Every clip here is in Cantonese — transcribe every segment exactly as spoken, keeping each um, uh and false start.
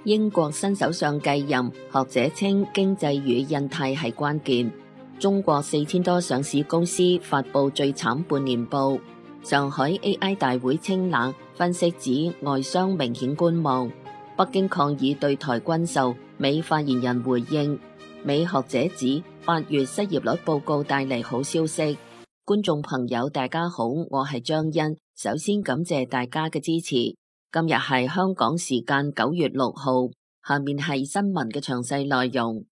英國新首相繼任，學者稱經濟與印太係關鍵。中國四千多上市公司發佈最慘半年報。上海 A I 大會清冷，分析指外商明顯觀望。北京抗議對台軍售，美發言人回應。美學者指八月失業率報告帶嚟好消息。觀眾朋友大家好，我係張欣，首先感謝大家嘅支持。今日係香港時間九月六號，下面係新聞嘅詳細內容。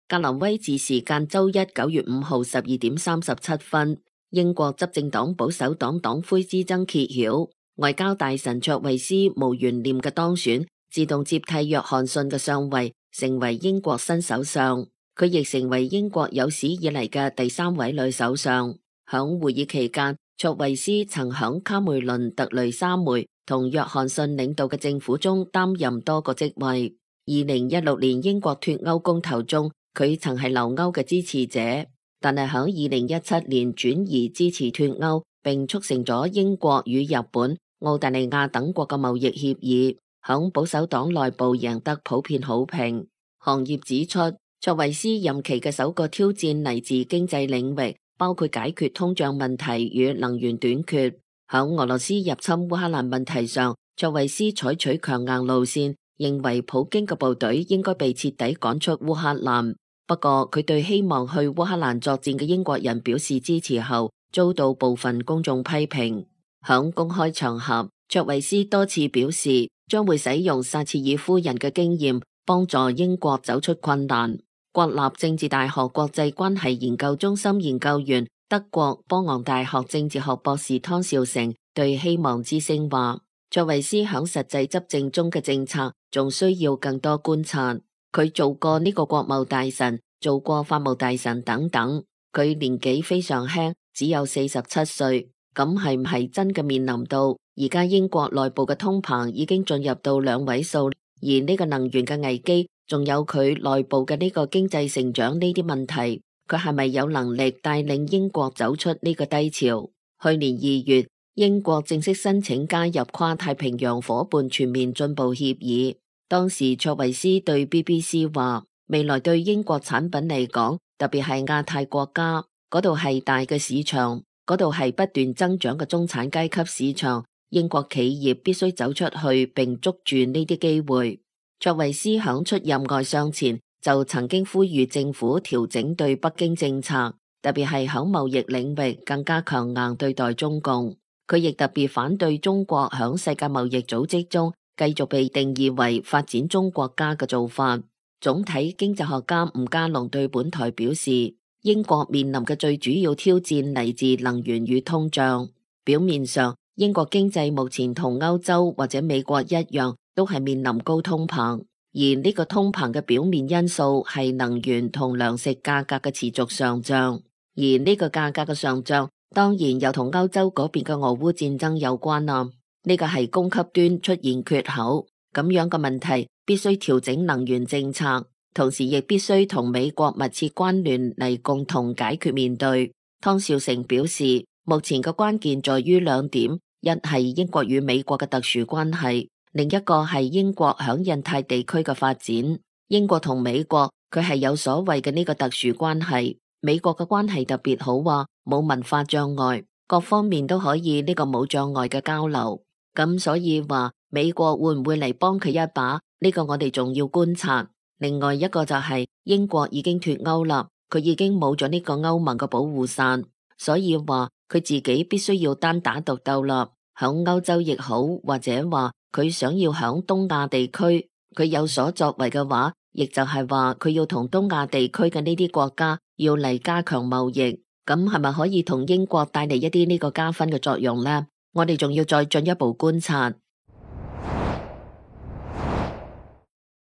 格林威治時間周一九月五號十二點三十七分，英國執政黨保守黨黨魁之爭揭曉，外交大臣卓慧思無懸念嘅當選，自動接替約翰遜嘅上位，成為英國新首相。佢亦成為英國有史以嚟嘅第三位女首相。響會議期間，卓慧思曾響卡梅倫、特雷莎梅同約翰遜領導嘅政府中擔任多個職位。二零一六年英國脫歐公投中，佢曾係留歐嘅支持者，但係響二零一七年轉移支持脫歐，並促成咗英國與日本、澳大利亞等國嘅貿易協議，響保守黨內部贏得普遍好評。行業指出，卓慧思任期嘅首個挑戰嚟自經濟領域，包括解決通脹問題與能源短缺。響俄羅斯入侵烏克蘭問題上，卓慧思採取強硬路線，認為普京嘅部隊應該被徹底趕出烏克蘭。不過佢對希望去烏克蘭作戰嘅英國人表示支持後，遭到部分公眾批評。響公開場合，卓慧思多次表示將會使用撒切爾夫人嘅經驗，幫助英國走出困難。國立政治大學國際關係研究中心研究員、德國波昂大學政治學博士湯兆成對希望之聲話，卓慧思響實際執政中嘅政策仲需要更多觀察。佢做過呢個國務大臣，做過法務大臣等等。佢年紀非常輕，只有四十七歲。咁係唔係真嘅面臨到而家英國內部嘅通膨已經進入到兩位數，而呢個能源嘅危機，仲有佢內部嘅呢個經濟成長呢啲問題，佢係咪有能力帶領英國走出呢個低潮？去年二月，英國正式申請加入跨太平洋夥伴全面進步協議。當時卓慧思對 B B C 話，未來對英國產品嚟講，特別係亞太國家，嗰度係大嘅市場，嗰度係不斷增長嘅中產階級市場，英國企業必須走出去並捉住呢啲機會。卓慧思響出任外相前就曾經呼籲政府調整對北京政策，特別係響貿易領域更加強硬對待中共。佢亦特別反對中國響世界貿易組織中繼續被定義為發展中國家嘅做法。總體經濟學家吳家龍對本台表示，英國面臨嘅最主要挑戰嚟自能源與通脹。表面上，英國經濟目前同歐洲或者美國一樣，都係面臨高通膨，而呢個通膨嘅表面因素係能源同糧食價格嘅持續上漲，而呢個價格嘅上漲當然又同歐洲嗰邊嘅俄烏戰爭有關啦。呢個係供給端出現缺口，咁樣嘅問題必須調整能源政策，同時亦必須同美國密切關聯嚟共同解決面對。湯兆成表示，目前嘅關鍵在於兩點，一係英國與美國嘅特殊關係，另一個係英國響印太地區嘅發展。英國同美國佢係有所謂嘅呢個特殊關係，美國嘅關係特別好，話冇文化障礙，各方面都可以呢個冇障礙嘅交流。咁所以話美國會唔會嚟幫佢一把？呢個我哋仲要觀察。另外一個就係英國已經脫歐啦，佢已經冇咗呢個歐盟嘅保護傘，所以話佢自己必須要單打獨鬥啦。響歐洲亦好，或者話佢想要響東亞地區佢有所作為嘅話，亦就係話佢要同東亞地區嘅呢啲國家要嚟加強貿易，咁係咪可以同英國帶嚟一啲呢個加分嘅作用呢？我哋仲要再進一步觀察。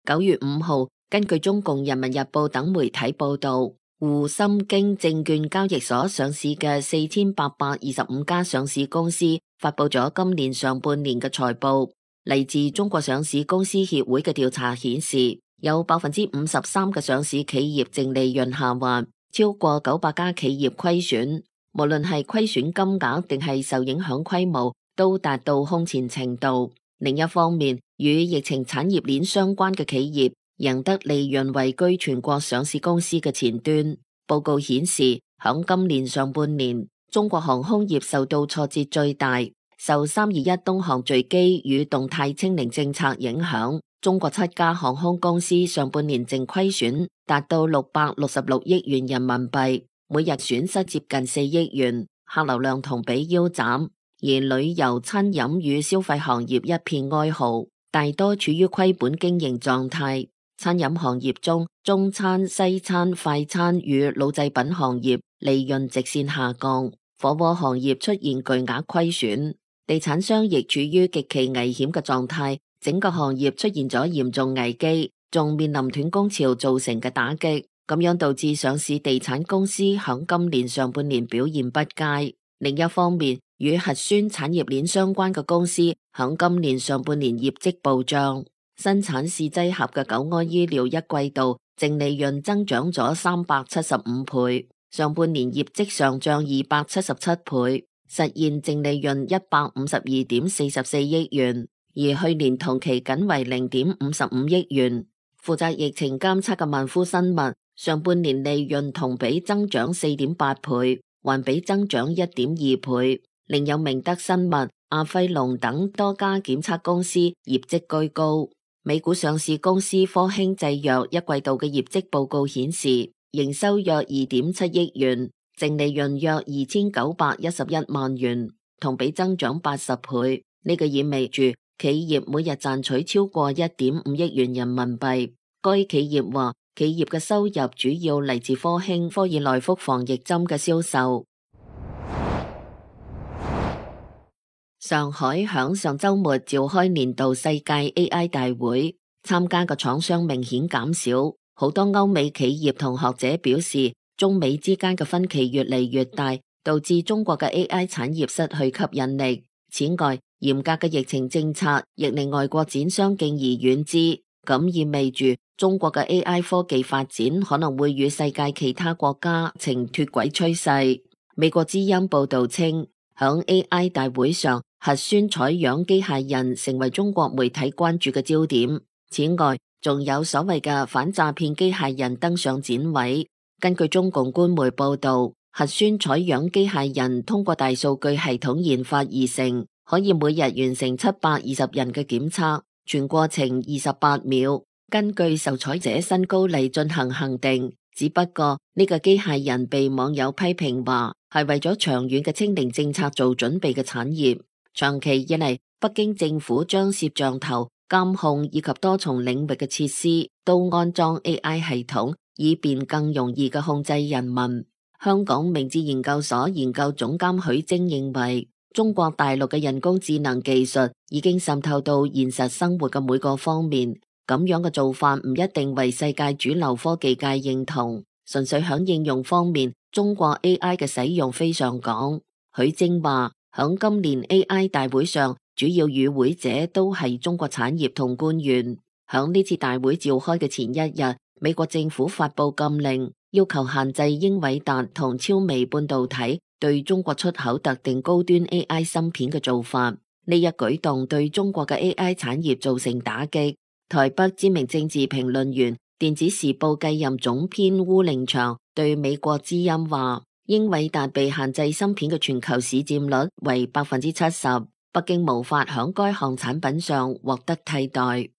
九月五號，根據中共人民日報等媒體報道，滬深京證券交易所上市嘅四千八百二十五家上市公司發佈咗今年上半年嘅財報。嚟自中國上市公司協會嘅調查顯示，有百分之五十三嘅上市企業淨利潤下滑，超過九百家企業虧損。無論係虧損金額定係受影響規模，都達到空前程度。另一方面，與疫情產業鏈相關嘅企業贏得利潤位居全國上市公司嘅前端。報告顯示，響今年上半年，中國航空業受到挫折最大，受三二一東航墜機與動態清零政策影響，中國七家航空公司上半年淨虧損達到六百六十六億元人民幣，每日損失接近四億元，客流量同比腰斬。而旅遊、餐飲與消費行業一片哀嚎，大多處於虧本經營狀態。餐飲行業中，中餐、西餐、快餐與老製品行業利潤直線下降，火鍋行業出現巨額虧損，地產商亦處於極其危險嘅狀態，整個行業出現咗嚴重危機，仲面臨斷供潮造成嘅打擊，咁樣導致上市地產公司響今年上半年表現不佳。另一方面，與核酸產業鏈相關嘅公司響今年上半年業績暴漲，生產試劑盒嘅九安醫療一季度淨利潤增長咗三百七十五倍，上半年業績上漲二百七十七倍，實現淨利潤一百五十二點四十四億元，而去年同期僅為零點五十五億元。負責疫情監測嘅萬夫生物上半年利潤同比增長四點八倍，環比增長一點二倍。另有明德生物、阿輝龍等多家檢測公司業績居高。美股上市公司科興製藥一季度嘅業績報告顯示，營收約二點七億元，淨利潤約二千九百一十一萬元，同比增長八十倍。呢、這個意味住企業每日賺取超過一點五億元人民幣。該企業話，企業嘅收入主要嚟自科興科爾內福防疫針嘅銷售。上海響上周末召開年度世界 A I 大會，參加嘅廠商明顯減少，好多歐美企業同學者表示，中美之間嘅分歧越嚟越大，導致中國嘅 A I 產業失去吸引力。此外，嚴格嘅疫情政策亦令外國展商敬而遠之，咁意味住中國嘅 A I 科技發展可能會與世界其他國家呈脫軌趨勢。美國之音報道稱，響 A I 大會上，核酸採樣機械人成為中國媒體關注嘅焦點。此外，仲有所謂嘅反詐騙機械人登上展位。根據中共官媒報道，核酸採樣機械人通過大數據系統研發而成，可以每日完成七百二十人嘅檢測，全過程二十八秒，根據受採者身高嚟進行恆定。只不過呢個機械人被網友批評話係為咗長遠嘅清零政策做準備嘅產業。長期以嚟，北京政府將攝像頭、監控以及多重領域嘅設施都安裝 A I 系統，以便更容易嘅控制人民。香港明智研究所研究總監許晶認為，中國大陸嘅人工智能技術已經滲透到現實生活嘅每個方面，咁樣嘅做法唔一定為世界主流科技界認同，純粹響應用方面，中國 A I 嘅使用非常廣。許晶話，響今年 A I 大會上，主要與會者都係中國產業同官員。響呢次大會召開嘅前一日，美國政府發布禁令，要求限制英偉達同超微半導體對中國出口特定高端 A I 芯片嘅做法。呢一舉動對中國嘅 A I 產業造成打擊。台北知名政治評論員、電子時報繼任總編鄔令祥對美國之音話，英偉達被限制芯片嘅全球市佔率為百分之七十，北京無法響該項產品上獲得替代。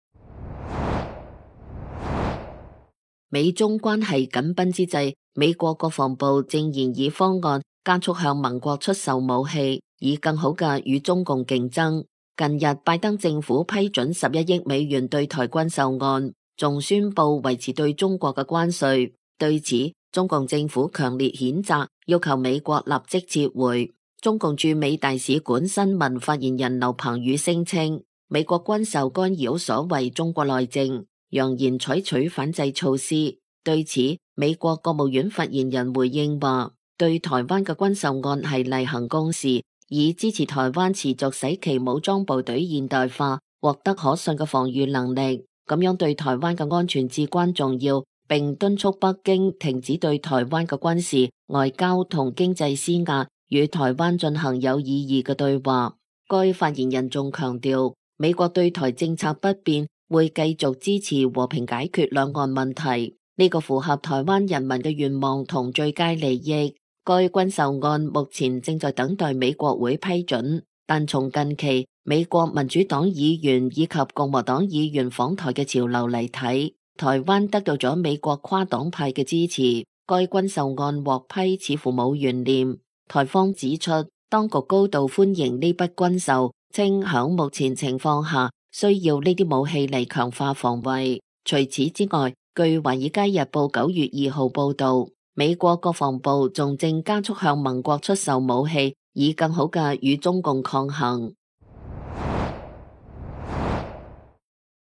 美中關係緊繃之際，美國國防部正研議方案，加速向盟國出售武器，以更好嘅與中共競爭。近日，拜登政府批准十一億美元對台軍售案，仲宣布維持對中國嘅關稅。對此，中共政府強烈譴責，要求美國立即撤回。中共駐美大使館新聞發言人劉鵬宇聲稱，美國軍售干擾所謂中國內政，揚言採取反制措施。對此，美國國務院發言人回應話，對台灣嘅軍售案係例行公事，以支持台灣持續使其武裝部隊現代化，獲得可信嘅防禦能力，咁樣對台灣嘅安全至關重要，並敦促北京停止對台灣嘅軍事、外交同經濟施壓，與台灣進行有意義嘅對話。該發言人仲強調，美國對台政策不變，會繼續支持和平解決兩岸問題，呢個符合台灣人民嘅願望同最佳利益。該軍售案目前正在等待美國會批准，但從近期美國民主黨議員以及共和黨議員訪台嘅潮流嚟睇，台灣得到咗美國跨黨派嘅支持，該軍售案獲批似乎冇懸念。台方指出，當局高度歡迎呢筆軍售，稱響目前情況下需要呢啲武器嚟強化防衛。除此之外，據華爾街日報九月二號報道，美國國防部仲正加速向盟國出售武器，以更好嘅與中共抗衡。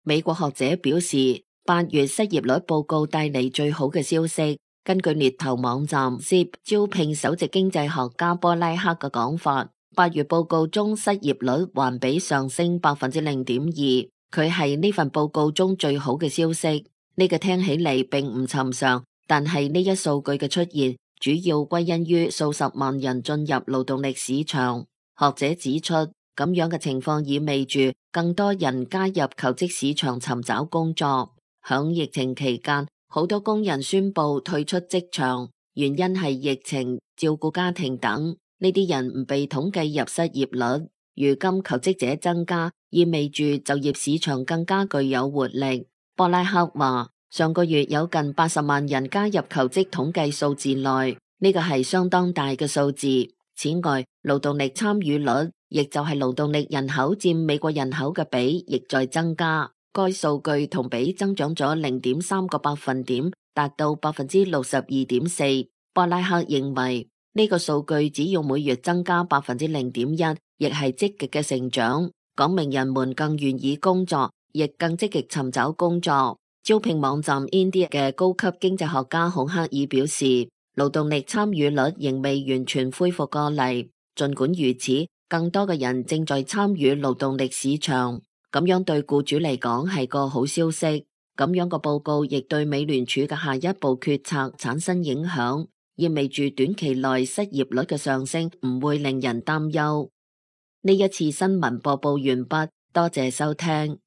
美國學者表示，八月失業率報告帶嚟最好嘅消息。根據獵頭網站 Zip 招聘首席經濟學家波拉克嘅講法，八月報告中失業率環比上升百分之零點二，佢係呢份報告中最好嘅消息。呢個聽起嚟並唔尋常，但係呢一數據嘅出現，主要歸因於數十萬人進入勞動力市場。學者指出，咁樣嘅情況意味住更多人加入求職市場尋找工作。響疫情期間，好多工人宣布退出職場，原因係疫情、照顧家庭等。呢啲人唔被統計入失業率。如今求職者增加，意味住就業市場更加具有活力。波拉克話，上個月有近八十萬人加入求職統計數字內，呢個係相當大嘅數字。此外，勞動力參與率，亦就係勞動力人口佔美國人口嘅比，亦在增加。該數據同比增長咗零點三個百分點，達到百分之六十二點四。波拉克認為呢個數據只要每月增加百分之零點一，亦係積極嘅成長，講明人們更願意工作，亦更積極尋找工作。招聘網站 Indeed 嘅高級經濟學家孔克爾表示，勞動力參與率仍未完全恢復過嚟。儘管如此，更多嘅人正在參與勞動力市場，咁樣對僱主嚟講係個好消息。咁樣個報告亦對美聯儲嘅下一步決策產生影響，意味住短期內失業率嘅上升唔會令人擔憂。呢一次新聞播報完畢，多謝收聽。